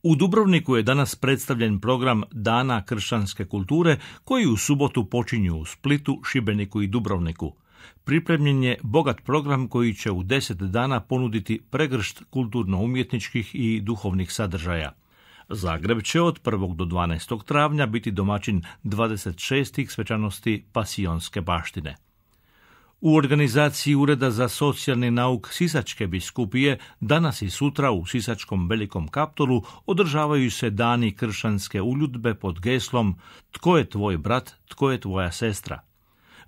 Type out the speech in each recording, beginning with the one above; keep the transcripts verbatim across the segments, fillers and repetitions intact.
U Dubrovniku je danas predstavljen program Dana kršćanske kulture koji u subotu počinju u Splitu, Šibeniku i Dubrovniku. Pripremljen je bogat program koji će u deset dana ponuditi pregršt kulturno-umjetničkih i duhovnih sadržaja. Zagreb će od prvog do dvanaestog travnja biti domaćin dvadeset šestih svečanosti Pasionske baštine. U organizaciji Ureda za socijalni nauk Sisačke biskupije danas i sutra u Sisačkom Velikom Kaptolu održavaju se dani kršćanske uljudbe pod geslom Tko je tvoj brat, tko je tvoja sestra?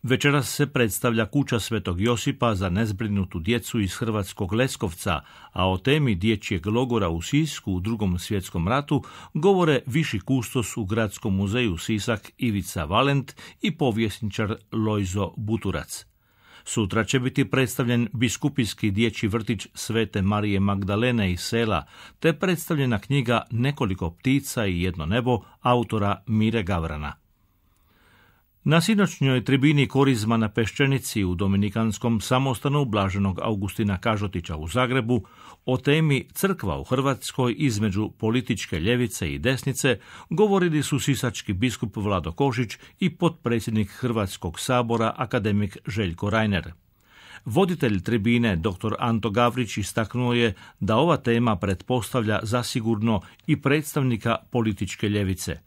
Večeras se predstavlja kuća Svetog Josipa za nezbrinutu djecu iz Hrvatskog Leskovca, a o temi dječjeg logora u Sisku u Drugom svjetskom ratu govore viši kustos u Gradskom muzeju Sisak Ivica Valent i povjesničar Lojzo Buturac. Sutra će biti predstavljen biskupijski dječji vrtić Svete Marije Magdalene iz sela, te predstavljena knjiga Nekoliko ptica i jedno nebo autora Mire Gavrana. Na sinoćnjoj tribini Korizma na Peščenici u Dominikanskom samostanu Blaženog Augustina Kažotića u Zagrebu o temi Crkva u Hrvatskoj između političke ljevice i desnice govorili su sisački biskup Vlado Košić i potpredsjednik Hrvatskog sabora akademik Željko Reiner. Voditelj tribine dr. Anto Gavrić istaknuo je da ova tema pretpostavlja zasigurno i predstavnika političke ljevice.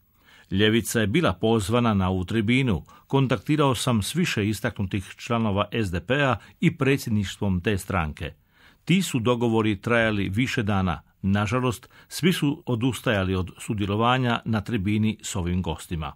Ljevica je bila pozvana na ovu tribinu, kontaktirao sam s više istaknutih članova es de pe a i predsjedništvom te stranke. Ti su dogovori trajali više dana. Nažalost, svi su odustajali od sudjelovanja na tribini s ovim gostima.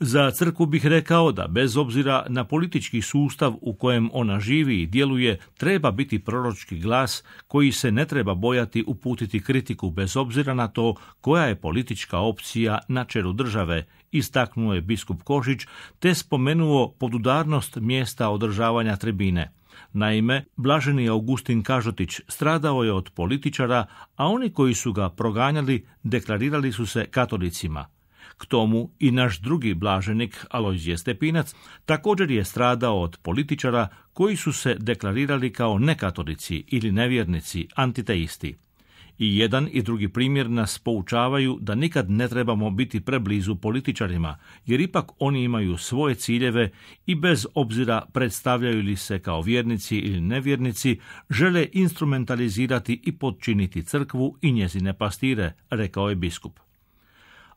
Za crkvu bih rekao da bez obzira na politički sustav u kojem ona živi i djeluje, treba biti proročki glas koji se ne treba bojati uputiti kritiku bez obzira na to koja je politička opcija na čelu države, istaknuo je biskup Košić, te spomenuo podudarnost mjesta održavanja tribine. Naime, blaženi Augustin Kažotić stradao je od političara, a oni koji su ga proganjali deklarirali su se katolicima. K tomu i naš drugi blaženik, Alojzije Stepinac, također je stradao od političara koji su se deklarirali kao nekatolici ili nevjernici, antiteisti. I jedan i drugi primjer nas poučavaju da nikad ne trebamo biti preblizu političarima, jer ipak oni imaju svoje ciljeve i bez obzira predstavljaju li se kao vjernici ili nevjernici, žele instrumentalizirati i podčiniti crkvu i njezine pastire, rekao je biskup.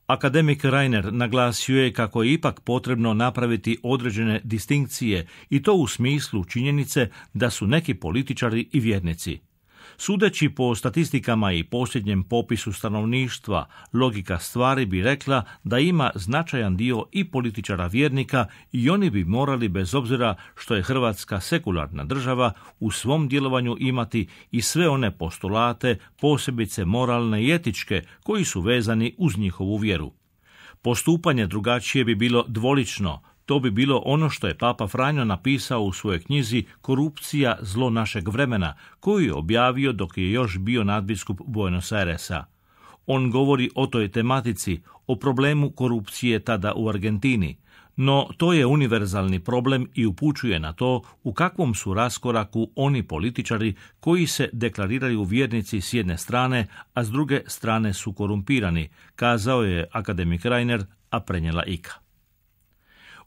Akademik Reiner naglasio je kako je ipak potrebno napraviti određene distinkcije i to u smislu činjenice da su neki političari i vjernici. Sudeći po statistikama i posljednjem popisu stanovništva, logika stvari bi rekla da ima značajan dio i političara vjernika i oni bi morali, bez obzira što je Hrvatska sekularna država, u svom djelovanju imati i sve one postulate, posebice moralne i etičke, koji su vezani uz njihovu vjeru. Postupanje drugačije bi bilo dvolično. To bi bilo ono što je Papa Franjo napisao u svojoj knjizi Korupcija, zlo našeg vremena, koju je objavio dok je još bio nadbiskup Buenos Airesa. On govori o toj tematici, o problemu korupcije tada u Argentini, no to je univerzalni problem i upućuje na to u kakvom su raskoraku oni političari koji se deklariraju vjernici s jedne strane, a s druge strane su korumpirani, kazao je akademik Reiner, a prenijela I K A.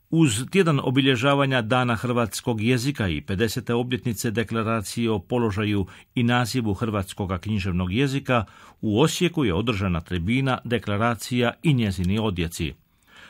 Uz tjedan obilježavanja Dana hrvatskog jezika i pedesete obljetnice deklaracije o položaju i nazivu hrvatskog književnog jezika, u Osijeku je održana tribina Deklaracija i njezini odjeci.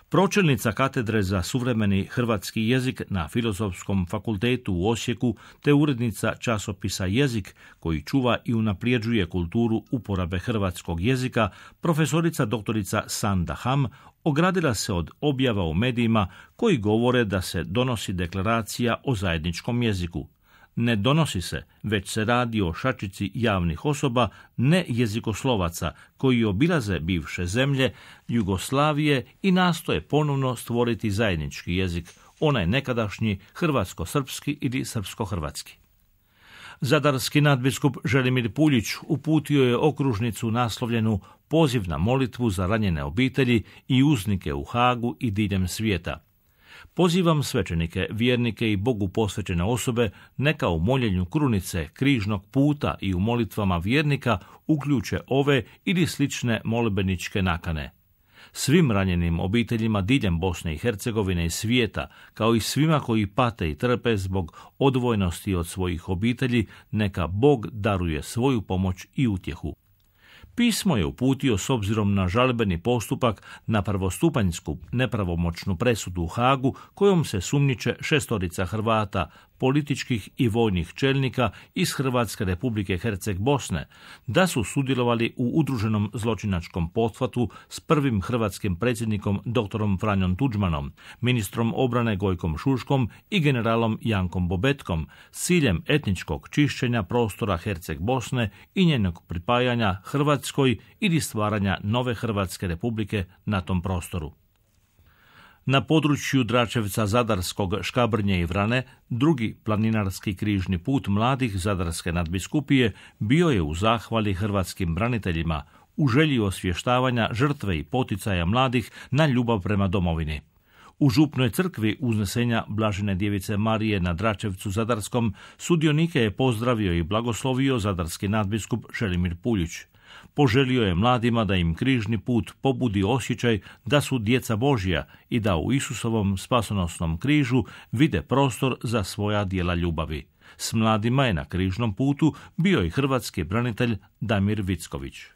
Pročelnica katedre za suvremeni hrvatski jezik na Filozofskom fakultetu u Osijeku te urednica časopisa Jezik, koji čuva i unaprijeđuje kulturu uporabe hrvatskog jezika, profesorica doktorica Sanda Ham, ogradila se od objava u medijima koji govore da se donosi deklaracija o zajedničkom jeziku. Ne donosi se, već se radi o šačici javnih osoba, ne jezikoslovaca, koji obilaze bivše zemlje Jugoslavije i nastoje ponovno stvoriti zajednički jezik, onaj nekadašnji hrvatsko-srpski ili srpsko-hrvatski. Zadarski nadbiskup Želimir Puljić uputio je okružnicu naslovljenu Poziv na molitvu za ranjene obitelji i uznike u Hagu i diljem svijeta. Pozivam svećenike, vjernike i Bogu posvećene osobe neka u moljenju krunice, križnog puta i u molitvama vjernika uključe ove ili slične molbeničke nakane. Svim ranjenim obiteljima diljem Bosne i Hercegovine i svijeta, kao i svima koji pate i trpe zbog odvojenosti od svojih obitelji, neka Bog daruje svoju pomoć i utjehu. Pismo je uputio s obzirom na žalbeni postupak na prvostupanjsku nepravomoćnu presudu u Hagu kojom se sumnjiče šestorica Hrvata, političkih i vojnih čelnika iz Hrvatske Republike Herceg Bosne, da su sudjelovali u udruženom zločinačkom pothvatu s prvim hrvatskim predsjednikom doktorom Franjom Tuđmanom, ministrom obrane Gojkom Šuškom i generalom Jankom Bobetkom s ciljem etničkog čišćenja prostora Herceg Bosne i njenog pripajanja Hrvatskoj ili stvaranja nove Hrvatske Republike na tom prostoru. Na području Dračevca, Zadarskog, Škabrnje i Vrane, drugi planinarski križni put mladih Zadarske nadbiskupije bio je u zahvali hrvatskim braniteljima, u želji osvještavanja žrtve i poticaja mladih na ljubav prema domovini. U župnoj crkvi uznesenja Blažene djevice Marije na Dračevcu Zadarskom sudionike je pozdravio i blagoslovio zadarski nadbiskup Želimir Puljić. Poželio je mladima da im križni put pobudi osjećaj da su djeca Božja i da u Isusovom spasonosnom križu vide prostor za svoja djela ljubavi. S mladima je na križnom putu bio i hrvatski branitelj Damir Vicković.